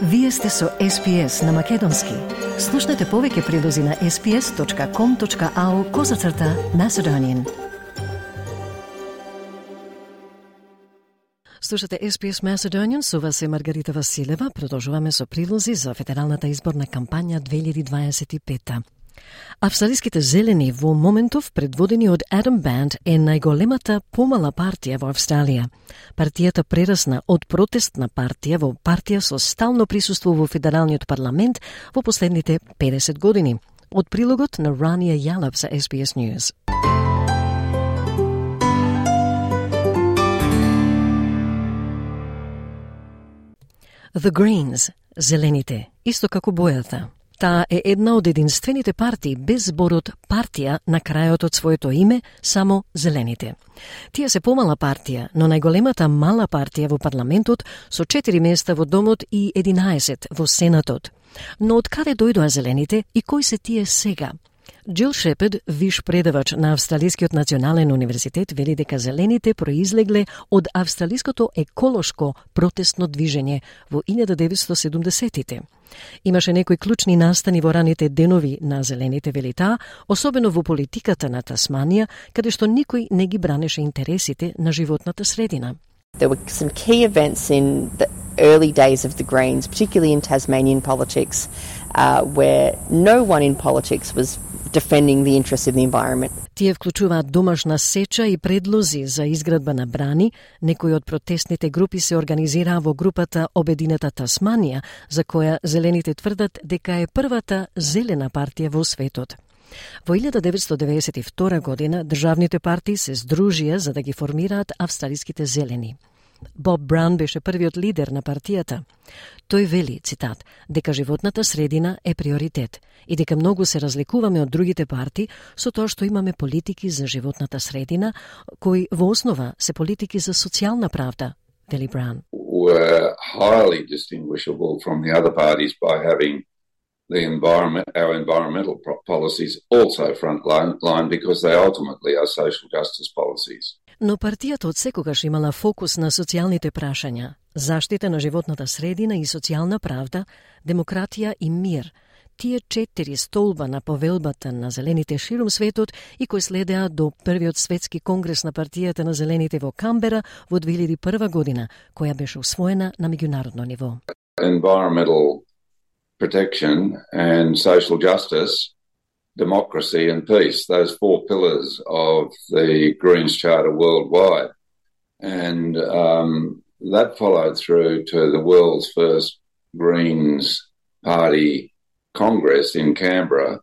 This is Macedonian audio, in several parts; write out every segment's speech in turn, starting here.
Вие сте со SPS на Македонски. Слушнете повеќе прилози на sps.com.au/Macedonian. Слушате SPS Macedonian, со вас е Маргарита Василева. Продолжуваме со прилози за федералната изборна кампања 2025. Австралиските зелени во моментов, предводени од Адам Банд, е најголемата помала партија во Австралија. Партијата прерасна од протестна партија во партија со стално присуство во федералниот парламент во последните 50 години. Од прилогот на Рания Јалап за SBS News. The Greens, зелените, исто како бојата. Таа е една од единствените партии без зборот партија на крајот од своето име, само зелените. Тие се помала партија, но најголемата мала партија во парламентот со 4 места во домот и 11 во сенатот. Но од каде дојдоа зелените и кои се тие сега? Джил Шепард, виш предавач на Австралискиот национален универзитет, вели дека зелените произлегле од австралиското еколошко протестно движење во 1970-тите. Имаше некои клучни настани во раните денови на зелените, вели таа, особено во политиката на Тасманија, каде што никој не ги бранеше интересите на животната средина. There were some key events in the early days of the Greens, particularly in Tasmanian politics, where no one in politics was defending the interests of the environment. Тие вклучуваат домашна сеча и предлози за изградба на брани. Некои од протестните групи се организираа во групата Обединета Тасманија, за која зелените тврдат дека е првата зелена партија во светот. Во 1992 година државните партии се здружија за да ги формираат австралиските зелени. Боб Браун беше првиот лидер на партијата. Тој вели, цитат, дека животната средина е приоритет и дека многу се разликуваме од другите партии со тоа што имаме политики за животната средина, кои во основа се политики за социјална правда, вели Браун. Were highly distinguishable from the other parties by having our environmental policies also frontline because they ultimately are social justice policies. Но партијата од секогаш имала фокус на социјалните прашања, заштита на животната средина и социјална правда, демократија и мир. Тие 4 столба на повелбата на зелените ширум светот и кои следеа до првиот светски конгрес на партијата на зелените во Камбера во 2001 година, која беше усвоена на меѓународно ниво. Environmental protection and social justice, democracy and peace, those 4 pillars of the Greens Charter worldwide. And that followed through to the world's first Greens Party Congress in Canberra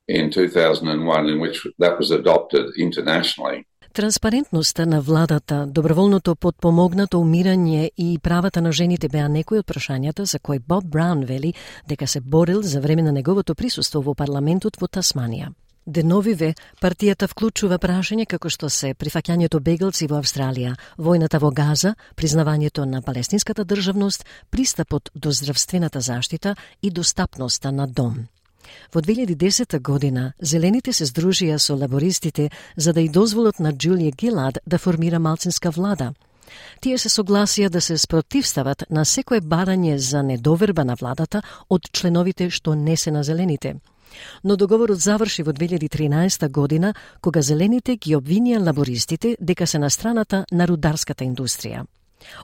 in 2001, in which that was adopted internationally. Транспарентноста на владата, доброволното подпомогнато умирање и правата на жените беа некои од прашањата за кои Боб Браун вели дека се борил за време на неговото присуство во парламентот во Тасманија. Деновиве, партијата вклучува прашања како што се прифаќањето бегалци во Австралија, војната во Газа, признавањето на палестинската државност, пристапот до здравствената заштита и достапноста на дом. Во 2010 година, зелените се здружија со лабористите за да и дозволат на Джулија Гилад да формира малцинска влада. Тие се согласија да се спротивстават на секое барање за недоверба на владата од членовите што не се на зелените. Но договорот заврши во 2013 година, кога зелените ги обвинија лабористите дека се на страната на рударската индустрија.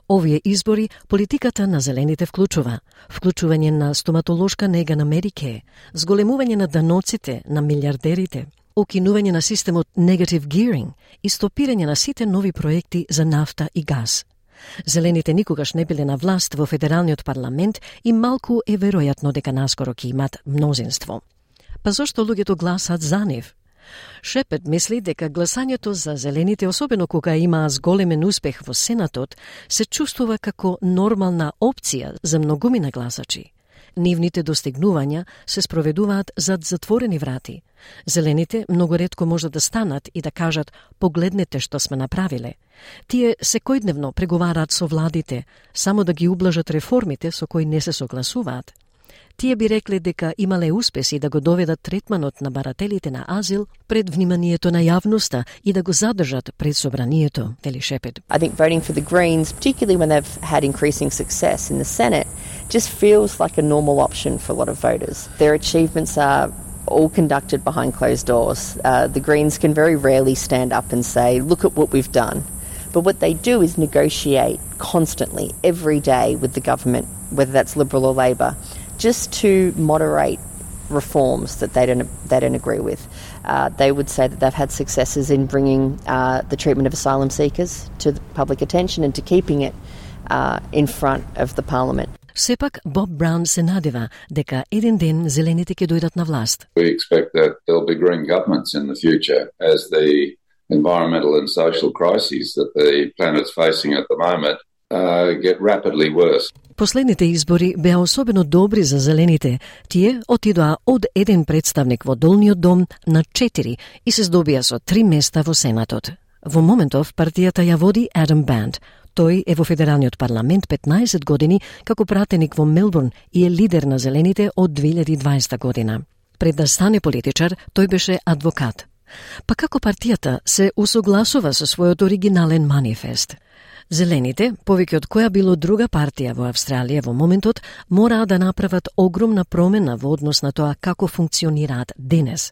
Овие избори политиката на зелените вклучување на стоматолошка нега на Медикеј, зголемување на даноците на милиардерите, укинување на системот negative gearing и стопирање на сите нови проекти за нафта и газ. Зелените никогаш не биле на власт во федералниот парламент и малку е веројатно дека наскоро ќе имат мнозинство. Па зошто луѓето гласат за нив? Шепард мисли дека гласањето за зелените, особено кога имаа зголемен успех во Сенатот, се чувствува како нормална опција за многумина гласачи. Нивните достигнувања се спроведуваат зад затворени врати. Зелените многу ретко можат да станат и да кажат «погледнете што сме направиле». Тие секојдневно преговараат со владите, само да ги ублажат реформите со кои не се согласуваат. Тие би рекле дека имале успеси да го доведат третманот на барателите на азил пред вниманието на јавноста и да го задржат пред собранието, вели Шепет. I think voting for the Greens, particularly when they've had increasing success in the Senate, just feels like a normal option for a lot of voters. Their achievements are all conducted behind closed doors. The Greens can very rarely stand up and say, look at what we've done. But what they do is negotiate constantly, every day with the government, whether that's Liberal or Labor, just to moderate reforms that they don't agree with. They would say that they've had successes in bringing the treatment of asylum seekers to the public attention and to keeping it in front of the Parliament. Сепак Боб Браун се надева дека еден ден зелените ќе дојдат на власт. We expect that there'll be green governments in the future as the environmental and social crises that the planet's facing at the moment get rapidly worse. Последните избори беа особено добри за зелените. Тие отидоа од еден представник во долниот дом на 4 и се здобија со 3 места во Сенатот. Во моментов партијата ја води Адам Банд. Тој е во федералниот парламент 15 години како пратеник во Мелбурн и е лидер на зелените од 2020 година. Пред да стане политичар, тој беше адвокат. Па како партијата се усогласува со својот оригинален манифест? Зелените, повеќе од која било друга партија во Австралија во моментот, мораа да направат огромна промена во однос на тоа како функционираат денес.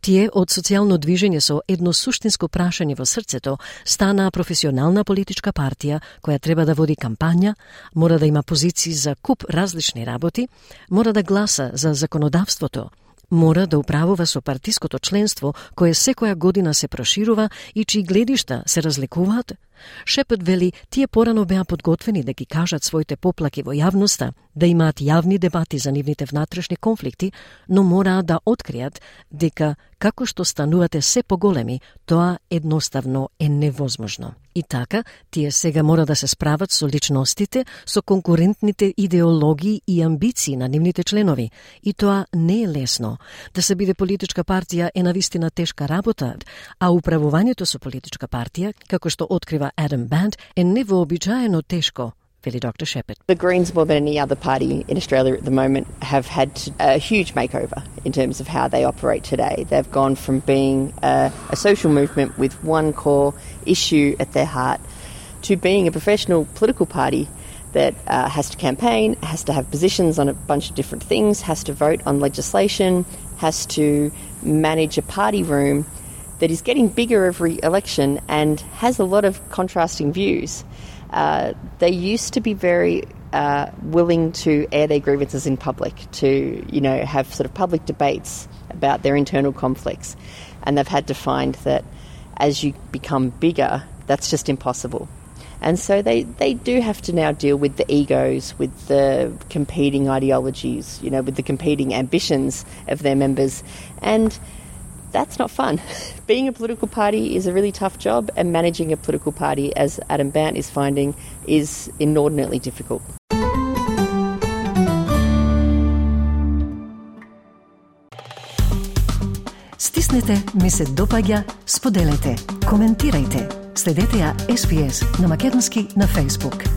Тие од социјално движење со едно суштинско прашање во срцето станаа професионална политичка партија која треба да води кампања, мора да има позиции за куп различни работи, мора да гласа за законодавството, мора да управува со партиското членство кое секоја година се проширува и чии гледишта се разликуваат. Шепет вели, тие порано беа подготвени да ги кажат своите поплаки во јавноста, да имаат јавни дебати за нивните внатрешни конфликти, но мораа да откријат дека како што станувате се поголеми, тоа едноставно е невозможно. И така, тие сега мора да се справат со личностите, со конкурентните идеологии и амбиции на нивните членови. И тоа не е лесно. Да се биде политичка партија е навистина тешка работа, а управувањето со политичка партија, како што открива Adam Band, е невообичаено тешко, вели доктор Шепет. The Greens, more than any other party in Australia at the moment, have had a huge makeover in terms of how they operate today. They've gone from being a social movement with one core issue at their heart to being a professional political party that has to campaign, has to have positions on a bunch of different things, has to vote on legislation, has to manage a party room that is getting bigger every election and has a lot of contrasting views. They used to be very willing to air their grievances in public, to have sort of public debates about their internal conflicts, and they've had to find that as you become bigger, that's just impossible. And so they do have to now deal with the egos, with the competing ideologies, with the competing ambitions of their members, and that's not fun. Being a political party is a really tough job, and managing a political party, as Adam Bant is finding, is inordinately difficult. Стиснете, ми се допаѓа, споделете, коментирајте. Следете ја SPS на Македонски на Facebook.